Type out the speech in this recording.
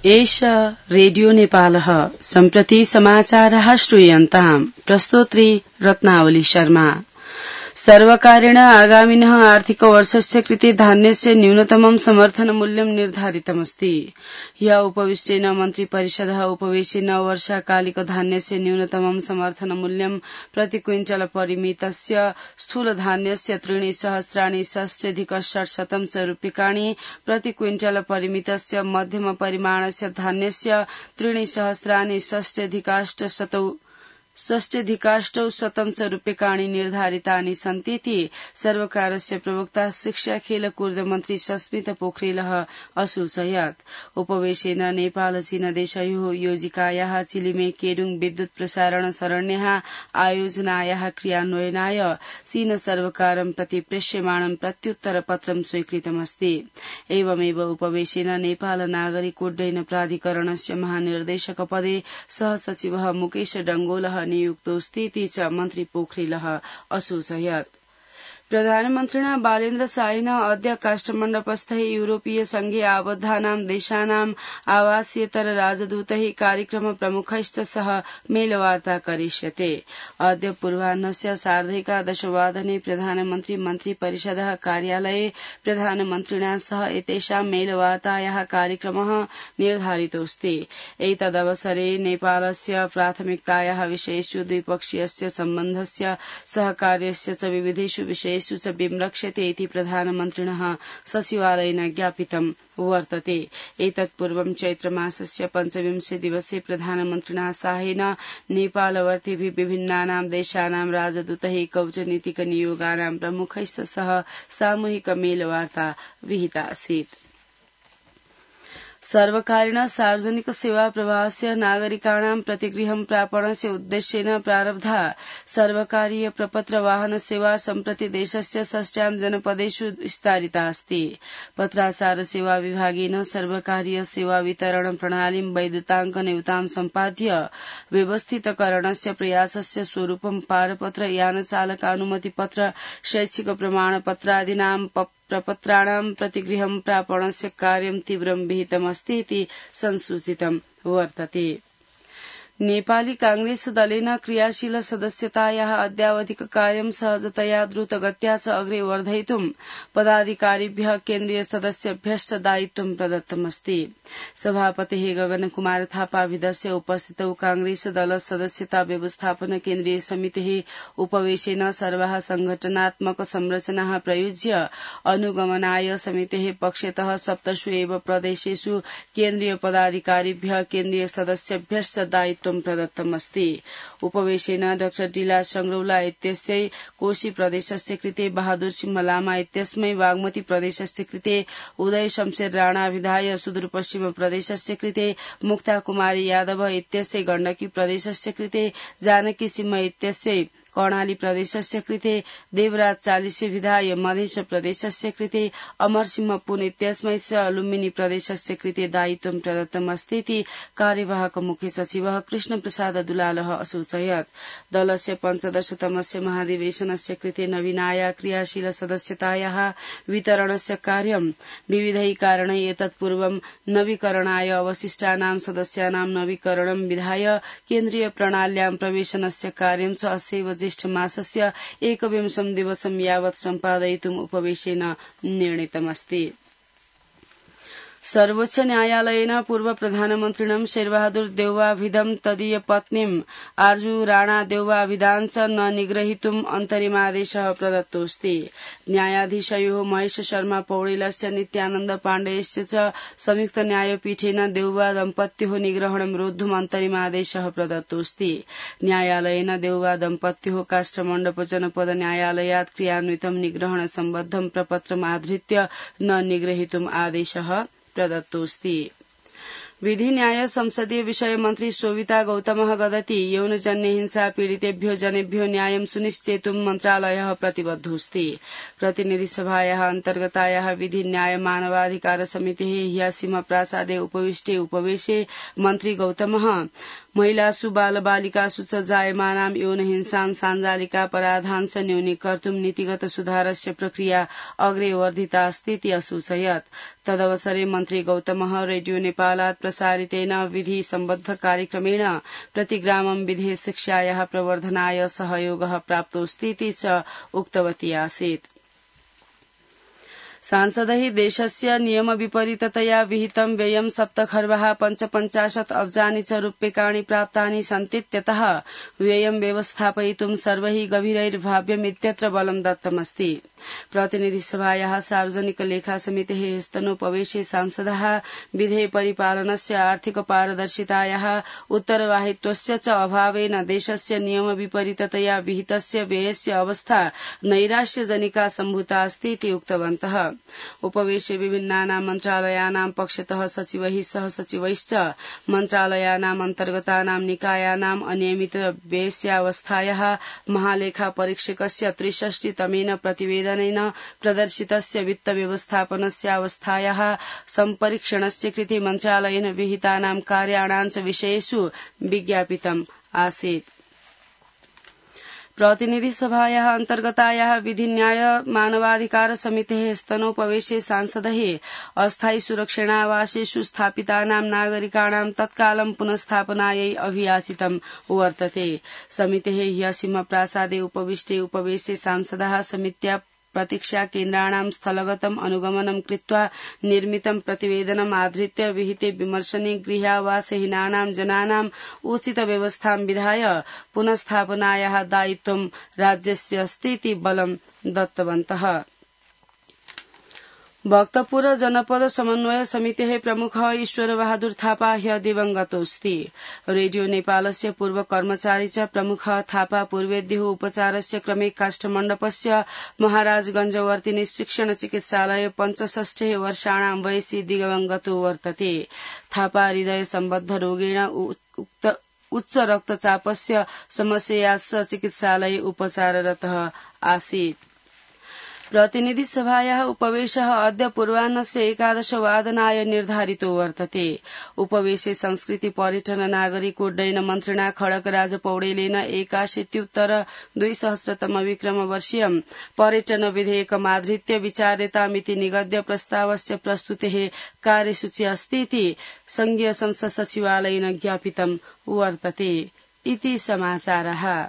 एष रेडियो नेपालः सम्प्रति समाचारः श्रूयन्ताम् प्रस्तोत्री रत्नावली शर्मा। सर्वकारेण आगामिनः आर्थिकवर्षस्य कृते धान्यस्य न्यूनतमं समर्थन मूल्यं निर्धारितमस्ति। ह्यः उपविष्टेन मन्त्रिपरिषदः उपवेशेन वर्षाकालिक धान्यस्य न्यूनतमं समर्थन मूल्यं प्रति क्विंटल परिमितस्य स्थूलधान्यस्य 3,सहस्राणि रूप्यकाणि प्रति क्विंटल परिमितस्य मध्यम परिमाणस्य धान्यस्य 3,सहस्राणि रूप्यकाणि निर्धारितानि सन्तीति सर्वकारस्य प्रवक्ता शिक्षा खेल कूर्द मन्त्री सस्मित पोखरेलः असूचयत्। उपवेशेन नेपाल चीन देशयोः योजिकायाः चिलिमे केडुङ विद्युत प्रसारण सरण्याः आयोजनायाः क्रियान्वयनाय चीन सर्वकारं प्रति प्रेष्यमाणं प्रत्युत्तरपत्रं स्वीकृतमस्ति। एवमेव उपवेशेन नेपाल नागरिक उड्डयन प्राधिकरणस्य महानिर्देशक पदे सहसचिवः मुकेश डंगोलः नियुक्तोऽस्तीति च मन्त्री पोखरेलः असूचयत्। प्रधानमन्त्रिणा बालेन्द्र शाहेन अद्य काष्ठमण्डपस्थैः यूरोपीय संघे आबद्धानां देशानां आवासीयतर राजदूतैः कार्यक्रम प्रमुखैश्च सह मेलवार्ता करिष्यते। अद्य पूर्वाह्नस्य 11:30 प्रधानमन्त्री मन्त्रिपरिषदः कार्यालये प्रधानमन्त्रिणा सह एतेषां मेलवार्तायाः कार्यक्रमः निर्धारितोऽस्ति। एतदवसरे नेपालस्य प्राथमिकतायाः विषयेषु द्विपक्षीयस्य सम्बन्धस्य सहकार्यस्य च विविधेषु विषयेषु च विमृक्ष्यते इति प्रधानमन्त्रिणः सचिवालयेन ज्ञापितं वर्तते। एतत्पूर्वं चैत्रमासस्य 25 दिवसे प्रधानमन्त्रिणा शाहेन नेपालवर्तिभिः विभिन्नानां देशानां राजदूतैः कूटनीतिक नियोगानां प्रमुखैश्च सह सामूहिक मेलवार्ता विहिता आसीत्। सर्वकारेण सार्वजनिक सेवा प्रवाहस्य नागरिकाणां प्रतिगृहं प्रापणस्य उद्देश्येन प्रारब्धा सर्वकारीय प्रपत्र वाहन सेवा सम्प्रति देशस्य 6 जनपदेषु विस्तारिता अस्ति। पत्राचार सेवा विभागेन सर्वकारीय सेवा वितरण प्रणालीं वैद्युताङ्कनयुतां सम्पाद्य व्यवस्थितकरणस्य प्रयासस्य स्वरूपं पारपत्र, यानचालकानुमतिपत्र, शैक्षिक प्रमाणपत्रादीनां प्रपत्राणां प्रतिगृहं प्रापणस्य कार्यं तीव्रं विहितमस्तीति संसूचितं वर्तते। नेपाली कांग्रेस दलेन क्रियाशील सदस्यतायाः अद्यावधिक कार्यं सहजतया द्रुतगत्या च अग्रे वर्धयितुं पदाधिकारिभ्यः केन्द्रीय सदस्यभ्यश्च दायित्वं प्रदत्तमस्ति। सभापतेः गगनकुमार थापाभिधस्य उपस्थितौ कांग्रेस दल सदस्यता व्यवस्थापन केन्द्रीय समितेः उपवेशेन सर्वाः संघटनात्मक संरचनाः प्रयुज्य अनुगमनाय समितेः पक्षतः 7 एव प्रदेशेषु केन्द्रीय पदाधिकारिभ्यः केन्द्रीय सदस्यभ्यश्च दायित्वं प्रदत्तमस्ति। उपवेशेन डाक्टर डीला संग्रौला इत्यस्यै कोशी प्रदेशस्य कृते, बहादुर सिंह लामा इत्यस्मै बागमती प्रदेशस्य कृते, उदय शमशेर राणा विधाय सुदूरपश्चिम प्रदेशस्य कृते, मुक्ता कुमारी यादव इत्यस्यै गण्डकी प्रदेशस्य कृते, जानकी सिंह इत्यस्यै कर्णाली प्रदेशस्य कृते, देवराज चालिसे विधाय मध्य प्रदेशस्य कृते, अमरसिंह पुन इत्यस्मै च लुम्बिनी प्रदेशस्य कृते दायित्वं प्रदत्तमस्तीति कार्यवाहक मुख्य सचिवः कृष्ण प्रसाद दुलालः असूचयत्। दलस्य 15तमस्य महाधिवेशनस्य कृते नवीनाया क्रियाशील सदस्यतायाः वितरणस्य कार्यं विविधैः कारणैः एतत्पूर्वं नवीकरणाय अवशिष्टानां सदस्यानां नवीकरणं विधाय केन्द्रीय प्रणाल्यां प्रवेशनस्य कार्यं च अस्यैव ज्येष्ठ मासस्य 21 दिवसं यावत् सम्पादयितुम् उपवेशेन निर्णीतमस्ति। सर्वोच्च न्यायालयेन पूर्व प्रधानमन्त्रिणं शेरबहादुर देउवाभिधं तदीय पत्नीं आर्जु राणा देउवाभिधान् च न निग्रहीतुम् अन्तरिमादेशः प्रदत्तोऽस्ति। न्यायाधीशयोः महेश शर्मा पौडेलस्य नित्यानन्द पाण्डेयस्य च संयुक्त न्यायपीठेन देउवा दम्पत्योः निग्रहणं रोद्धुम् अन्तरिमादेशः प्रदत्तोऽस्ति। न्यायालयेन देउवा दम्पत्योः काष्ठमण्डप जनपद न्यायालयात् क्रियान्वितं निग्रहण सम्बद्धं प्रपत्रम् आधृत्य न निग्रहीतुम् आदेशः प्रदत्तोऽस्ति। विधि न्याय संसदीय विषय मन्त्री शोभिता गौतमः गदति यौनजन्य हिंसा पीडितेभ्यो जनेभ्यो न्यायं सुनिश्चेतुं मन्त्रालयः प्रतिबद्धोऽस्ति। प्रतिनिधि सभायाः अन्तर्गतायाः विधि न्याय मानवाधिकार समितेः ह्यः सीमा प्रासादे उपविष्टे उपवेशे मन्त्री गौतमः महिलासु बालबालिकासु च जायमानां यौनहिंसां साञ्जालिकापराधांश न्यूनीकर्तुं नीतिगत सुधारस्य प्रक्रिया अग्रे वर्धिता अस्तीति असूचयत्। तदवसरे मन्त्री गौतमः रेडियो नेपालात् प्रसारितेन विधि सम्बद्ध कार्यक्रमेण प्रतिग्रामं विधेय शिक्षायाः प्रवर्धनाय सहयोगः प्राप्तोऽस्तीति च उक्तवती आसीत्। सांसदैः देशस्य नियम विपरीततया विहितं व्ययं 7,55 अब्जानि च रूप्यकाणि प्राप्तानि सन्तीत्यतः व्ययं व्यवस्थापयितुं सर्वैः गभीरैर्भाव्यमित्यत्र बलं दत्तमस्ति। प्रतिनिधिसभायाः सार्वजनिक लेखा समितेः स्तनोपवेशे सांसदः विधेय परिपालनस्य आर्थिक पारदर्शितायाः उत्तरवाहित्वस्य च अभावेन देशस्य नियम विपरीततया विहितस्य व्ययस्य अवस्था नैराश्यजनिका सम्भूता अस्ति इति उक्तवन्तः। उपवेशे विभिन्नानां मन्त्रालयानां पक्षतः सचिवैः सह सचिवैश्च मन्त्रालयानाम् अन्तर्गतानां निकायानाम् अनियमित व्ययस्यावस्थायाः महालेखा परीक्षकस्य 63तमेन प्रतिवेदनेन प्रदर्शितस्य वित्त व्यवस्थापनस्यावस्थायाः सम्परीक्षणस्य कृते मन्त्रालयेन विहितानां कार्याणां च विषयेषु विज्ञापितम् आसीत्। प्रतिनिधिसभायाः अन्तर्गतायाः विधि न्याय मानवाधिकार समितेः स्तनोपवेशे सांसदैः अस्थायी सुरक्षणावासेषु स्थापितानां नागरिकाणां तत्कालं पुनस्थापनायै अभियाचितं वर्तते। समितेः ह्यः सिंहप्रासादे उपविष्टे उपवेशे सांसदाः समित्या प्रतीक्षा केन्द्राणां स्थलगतम् अनुगमनं कृत्वा निर्मितं प्रतिवेदनम् आधृत्य विहिते विमर्शने गृहावासहीनानां जनानाम् उचित व्यवस्थां विधाय पुनस्थापनायाः दायित्वं राज्यस्य अस्ति इति बलं दत्तवन्तः। भक्तपुर जनपद समन्वय समितेः प्रमुखः ईश्वरबहादुर थापा ह्यः दिवंगतोऽस्ति। रेडियो नेपालस्य पूर्व कर्मचारी च प्रमुखः थापा पूर्वेद्युः उपचारस्य क्रमे काष्ठमण्डपस्य महाराजगंजवर्तिनि शिक्षण चिकित्सालये 65 वर्षाणां वयसि दिवंगतो वर्तते। थापा हृदय सम्बद्ध रोगेण उच्च रक्तचापस्य समस्यया चिकित्सालये उपचाररतः आसीत्। प्रतिनिधिसभायाः उपवेशः अद्य पूर्वाह्नस्य 11 वादनाय निर्धारितो वर्तते। उपवेशे संस्कृति पर्यटन नागरिक उड्डयन मन्त्रिणा खड्गराज पौडेलेन 81-2000 विक्रमवर्षीयं पर्यटन विधेयकमाधृत्य विचार्यतामिति निगद्य प्रस्तावस्य प्रस्तुतेः कार्यसूची अस्ति इति संघीय संसद सचिवालयेन ज्ञापितं वर्तते। इति समाचारः।